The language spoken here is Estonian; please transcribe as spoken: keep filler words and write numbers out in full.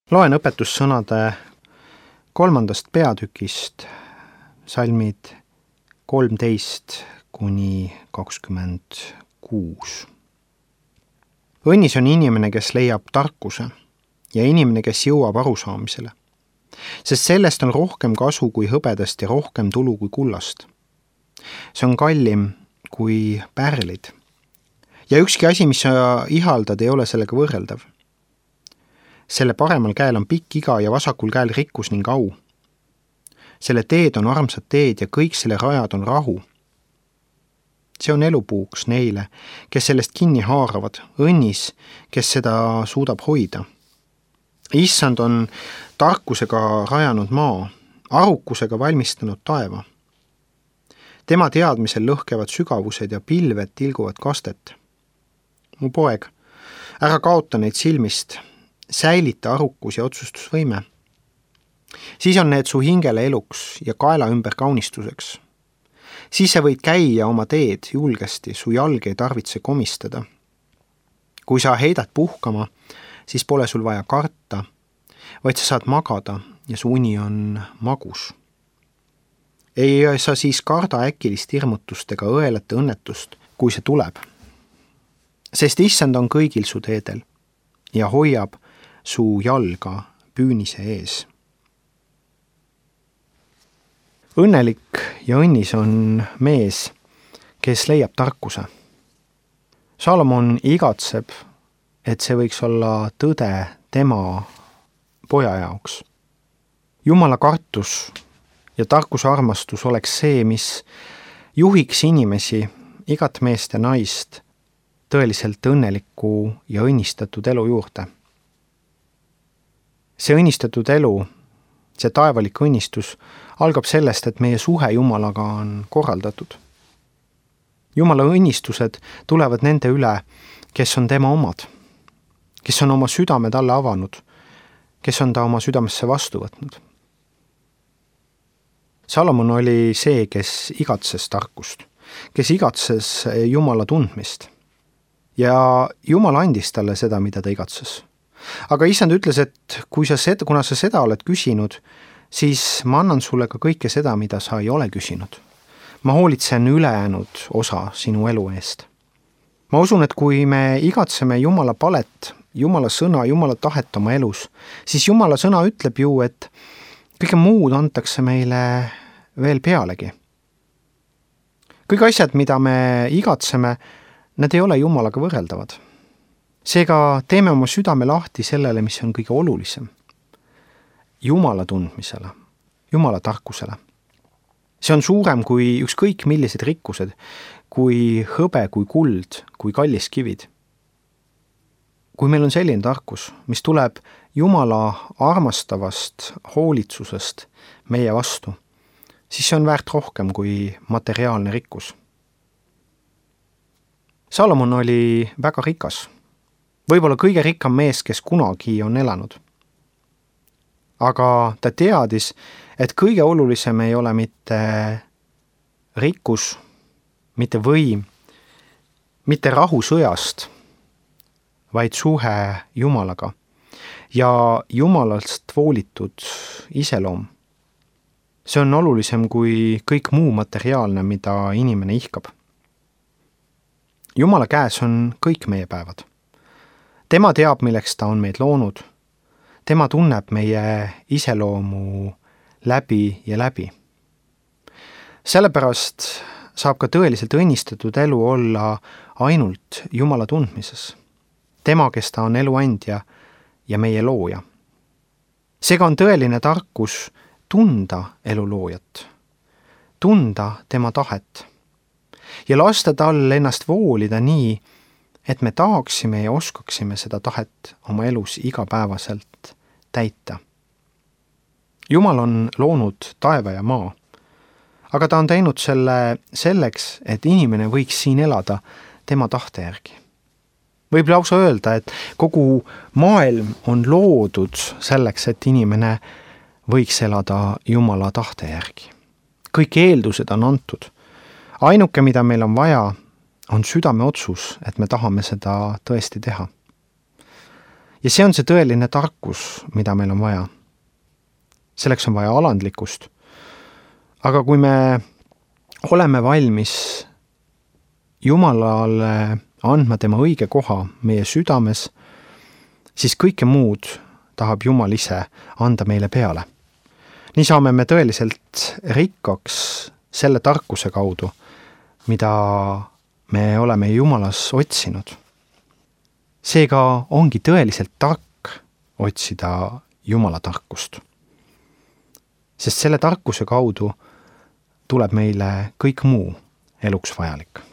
Loen õpetussõnade kolmandast peatükist salmid kolmteist kuni kakskümmend kuus. Õnnis on inimene, kes leiab tarkuse ja inimene, kes jõuab arusaamisele, sest sellest on rohkem kasu kui hõbedast ja rohkem tulu kui kullast. See on kallim kui pärlid ja ükski asi, mis sa ihaldad, ei ole sellega võrreldav. Selle paremal käel on pikk iga ja vasakul käel rikkus ning au. Selle teed on armsad teed ja kõik selle rajad on rahu. See on elupuuks neile, kes sellest kinni haaravad, õnnis, kes seda suudab hoida. Issand on tarkusega rajanud maa, arukusega valmistanud taeva. Tema teadmisel lõhkevad sügavused ja pilved tilguvad kastet. Mu poeg, ära kaota neid silmist, säilita arukus ja otsustusvõime. Siis on need su hingele eluks ja kaela ümber kaunistuseks. Siis sa võid käia oma teed julgesti, su jalg ei tarvitse komistada. Kui sa heidad puhkama, siis pole sul vaja karta, vaid sa saad magada ja su uni on magus. Ei sa siis karda äkilist hirmutust ega õelate õnnetust, kui see tuleb. Sest issand on kõigil su teedel ja hoiab su jalga püünise ees. Õnnelik ja õnnis on mees, kes leiab tarkuse. Salomon igatseb, et see võiks olla tõde tema poja jaoks. Jumala kartus ja tarkuse armastus oleks see, mis juhiks inimesi, igat meest ja naist, tõeliselt õnneliku ja õnnistatud elu juurde. See õnnistatud elu, see taevalik õnnistus algab sellest, et meie suhe Jumalaga on korraldatud. Jumala õnnistused tulevad nende üle, kes on tema omad, kes on oma südame talle avanud, kes on ta oma südamesse vastu võtnud. Salomon oli see, kes igatses tarkust, kes igatses Jumala tundmist. Ja Jumal andis talle seda, mida ta igatses. Aga issand ütles, et kui sa seda, kuna sa seda oled küsinud, siis ma annan sulle ka kõike seda, mida sa ei ole küsinud. Ma hoolitsen ülejäänud osa sinu elu eest. Ma usun, et kui me igatseme Jumala palet, Jumala sõna, Jumala tahet oma elus, siis Jumala sõna ütleb ju, et kõige muud antakse meile veel pealegi. Kõik asjad, mida me igatseme, need ei ole Jumalaga võrreldavad. Seega teeme oma südame lahti sellele, mis on kõige olulisem. Jumala tundmisele, Jumala tarkusele. See on suurem kui ükskõik millised rikkused, kui hõbe, kui kuld, kui kallis kivid. Kui meil on selline tarkus, mis tuleb Jumala armastavast hoolitsusest meie vastu, siis see on väärt rohkem kui materiaalne rikkus. Salomon oli väga rikas. Võib-olla kõige rikkam mees, kes kunagi on elanud. Aga ta teadis, et kõige olulisem ei ole mitte rikkus, mitte võim, mitte rahu sõjast, vaid suhe Jumalaga ja Jumalast voolitud iseloom. See on olulisem kui kõik muu materiaalne, mida inimene ihkab. Jumala käes on kõik meie päevad. Tema teab, milleks ta on meid loonud. Tema tunneb meie iseloomu läbi ja läbi. Sellepärast saab ka tõeliselt õnnistatud elu olla ainult Jumala tundmises. Tema, kes ta on eluandja ja meie looja. Seega on tõeline tarkus tunda eluloojat, tunda tema tahet ja lasta tal ennast voolida nii, et me tahaksime ja oskaksime seda tahet oma elus igapäevaselt täita. Jumal on loonud taeva ja maa, aga ta on teinud selle selleks, et inimene võiks siin elada tema tahte järgi. Võib lausa öelda, et kogu maailm on loodud selleks, et inimene võiks elada Jumala tahte järgi. Kõik eeldused on antud. Ainuke, mida meil on vaja, on südame otsus, et me tahame seda tõesti teha. Ja see on see tõeline tarkus, mida meil on vaja. Selleks on vaja alandlikkust. Aga kui me oleme valmis Jumalale andma tema õige koha meie südames, siis kõike muud tahab Jumal ise anda meile peale. Nii saame me tõeliselt rikkaks selle tarkuse kaudu, mida me oleme Jumalas otsinud. Seega ongi tõeliselt tark otsida Jumala tarkust. Sest selle tarkuse kaudu tuleb meile kõik muu eluks vajalik.